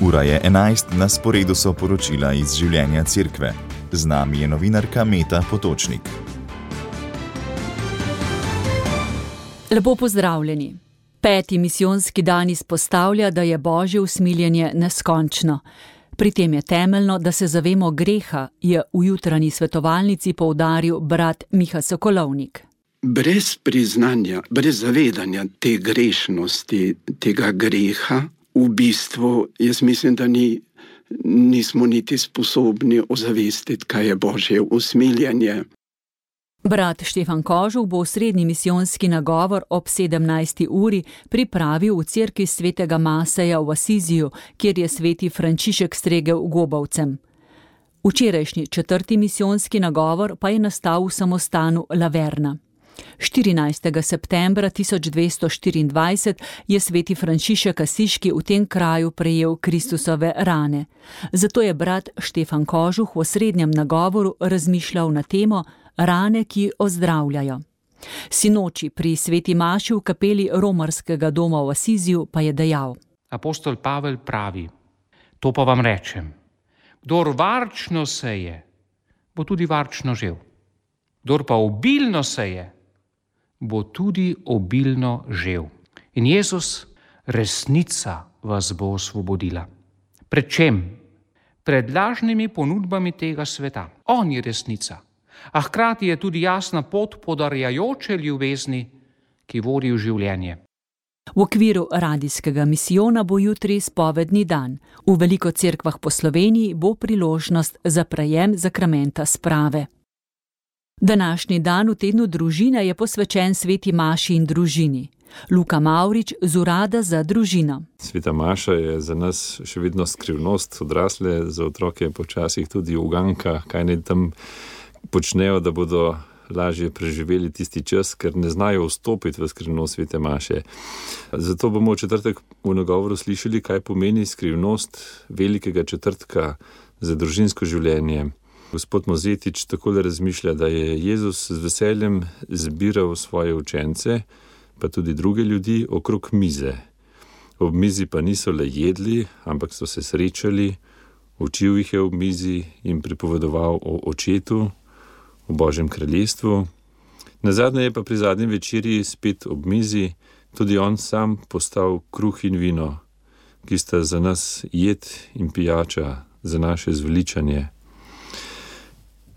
Ura je 11, na sporedu so poročila iz življenja cerkve. Z nami je novinarka Meta Potočnik. Lepo pozdravljeni. 5. misijonski dan izpostavlja, da je Božje usmiljenje neskončno. Pri tem je temeljno, da se zavemo greha, je v jutranji svetovalnici poudaril brat Miha Sokolovnik. Brez priznanja, brez zavedanja te grešnosti, tega greha, v bistvu jaz mislim, da nismo niti sposobni ozavestiti, kaj je Božje usmiljenje. Brat Štefan Kožuh bo srednji misijonski nagovor ob 17. uri pripravil v cerkvi svetega Maseja v Asiziju, kjer je sveti Frančišek stregel gobavcem. Včerajšnji 4. misijonski nagovor pa je nastal v samostanu Laverna. 14. septembra 1224 je sveti Frančišek Asiški v tem kraju prejel Kristusove rane. Zato je brat Štefan Kožuh v srednjem nagovoru razmišljal na temo rane, ki ozdravljajo. Sinoči pri sveti maši v kapeli romarskega doma v Asiziju pa je dejal: Apostol Pavel pravi, to pa vam rečem, kdor varčno seje, bo tudi varčno žel. Kdor pa obilno seje, bo tudi obilno žel. In Jezus, resnica vas bo osvobodila. Pred čem? Pred lažnimi ponudbami tega sveta. On je resnica. A hkrati je tudi jasna pot podarjajoče ljubezni, ki vodi v življenje. V okviru radijskega misijona bo jutri spovedni dan. V veliko cerkvah po Sloveniji bo priložnost za prejem zakramenta sprave. Današnji dan v tednu družine je posvečen sveti maši in družini. Luka Mavrič z Urada za družino. Sveta maša je za nas še vedno skrivnost, odrasle, za otroke počasih tudi uganka, kaj naj tam počnejo, da bodo lažje preživeli tisti čas, ker ne znajo vstopiti v skrivnost svete maše. Zato bomo v četrtek v nagovoru slišali, kaj pomeni skrivnost velikega četrtka za družinsko življenje. Gospod Mozetič takole razmišlja, da je Jezus z veseljem zbiral svoje učence, pa tudi druge ljudi, okrog mize. Ob mizi pa niso le jedli, ampak so se srečali, učil jih je ob mizi in pripovedoval o očetu, v Božjem kraljestvu. Nazadnje je pa pri zadnji večerji spet ob mizi tudi on sam postal kruh in vino, ki sta za nas jed in pijača, za naše zveličanje.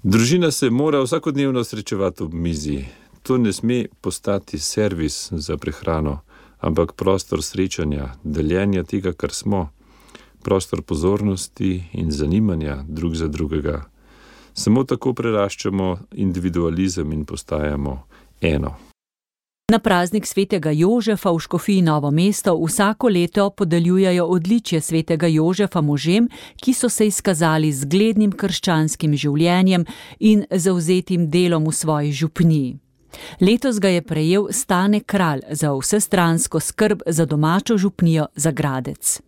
Družina se mora vsakodnevno srečevati ob mizi. To ne sme postati servis za prehrano, ampak prostor srečanja, deljenja tega, kar smo, prostor pozornosti in zanimanja drug za drugega. Samo tako preraščamo individualizem in postajamo eno. Na praznik svetega Jožefa v Škofiji Novo mesto vsako leto podeljujejo odličje svetega Jožefa možem, ki so se izkazali z zglednim krščanskim življenjem in zavzetim delom v svoji župniji. Letos ga je prejel Stane Kralj za vsestransko skrb za domačo župnijo Zagradec.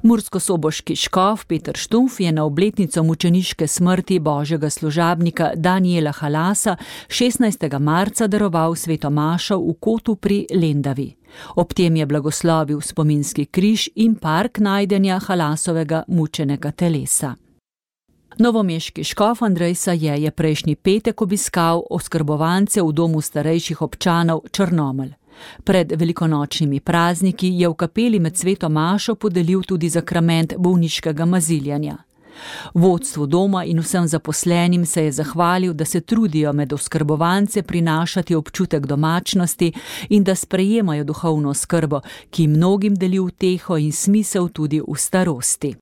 Murskosoboški škof Peter Štumf je na obletnico mučeniške smrti božjega služabnika Danijela Halasa 16. marca daroval sveto mašo v Kotu pri Lendavi. Ob tem je blagoslovil spominski križ in park najdenja Halasovega mučenega telesa. Novomeški škof Andrej Saje je prejšnji petek obiskal oskrbovance v domu starejših občanov Črnomelj. Pred velikonočnimi prazniki je v kapeli med sveto mašo podelil tudi zakrament bolniškega maziljanja. Vodstvu doma in vsem zaposlenim se je zahvalil, da se trudijo med oskrbovance prinašati občutek domačnosti in da sprejemajo duhovno skrbo, ki mnogim deli uteho in smisel tudi v starosti.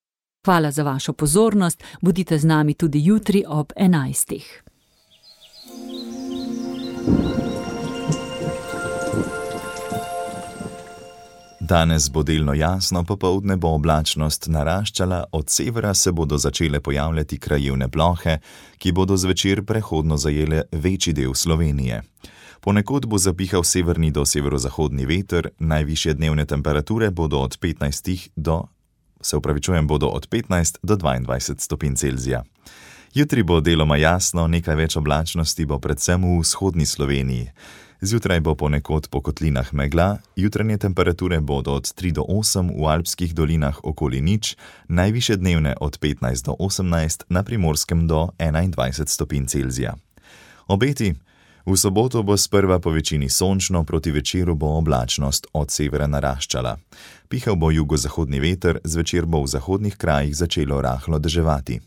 Hvala za vašo pozornost, bodite z nami tudi jutri ob 11. Danes bo delno jasno, popoldne bo oblačnost naraščala, od severa se bodo začele pojavljati krajevne plohe, ki bodo zvečer prehodno zajele večji del Slovenije. Ponekod bo zapihal severni do severozahodni veter, najvišje dnevne temperature bodo od 15 do 22 stopinj Celzija. Jutri bo deloma jasno, nekaj več oblačnosti bo predvsem v vzhodni Sloveniji. Zjutraj bo ponekod po kotlinah megla, jutranje temperature bodo od 3 do 8 v alpskih dolinah okoli nič, najvišje dnevne od 15 do 18, na Primorskem do 21 stopinj Celzija. Obeti: v soboto bo sprva po večini sončno, proti večeru bo oblačnost od severa naraščala. Pihal bo jugozahodni veter, zvečer bo v zahodnih krajih začelo rahlo deževati.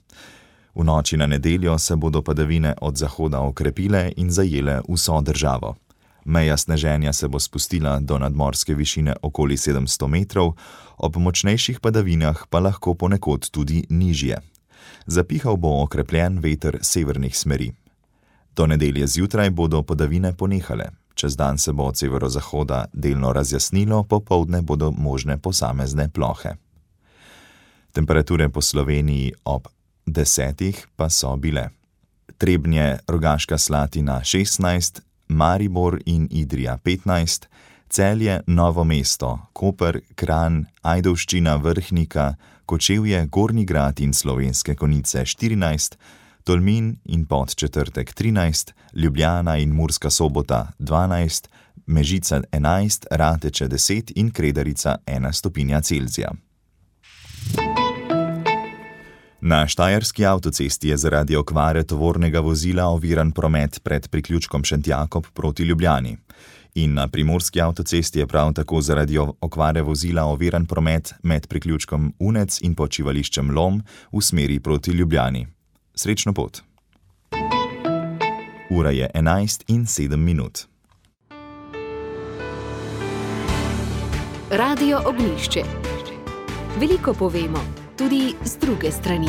V noči na nedeljo se bodo padavine od zahoda okrepile in zajele vso državo. Meja sneženja se bo spustila do nadmorske višine okoli 700 metrov, ob močnejših padavinah pa lahko ponekod tudi nižje. Zapihal bo okrepljen veter severnih smeri. Do nedelje zjutraj bodo padavine ponehale. Čez dan se bo od severozahoda delno razjasnilo, popoldne bodo možne posamezne plohe. Temperature po Sloveniji ob 10 pa so bile: Trebnje, Rogaška Slatina 16, Maribor in Idrija 15, Celje, Novo mesto, Koper, Kranj, Ajdovščina, Vrhnika, Kočevje, Gornji Grad in Slovenske Konjice 14, Tolmin in Podčetrtek 13, Ljubljana in Murska Sobota 12, Mežica 11, Rateče 10 in Kredarica 1 stopinja Celzija. Na štajerski avtocesti je zaradi okvare tovornega vozila oviran promet pred priključkom Šentjakob proti Ljubljani. In na primorski avtocesti je prav tako zaradi okvare vozila oviran promet med priključkom Unec in počivališčem Lom v smeri proti Ljubljani. Srečno pot. Ura je 11:07. Radio Ognjišče. Veliko povemo, tudi z druge strani.